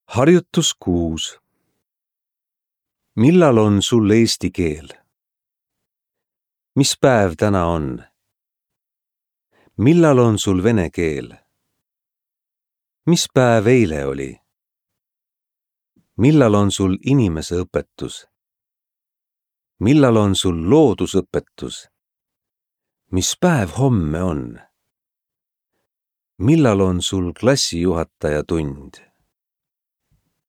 Harjutus 6. Millal on sul eesti keel? Mis päev täna on? Millal on sul vene keel? Mis päev eile oli? Millal on sul inimeseõpetus? Millal on sul loodusõpetus? Mis päev homme on? Millal on sul klassijuhataja tund?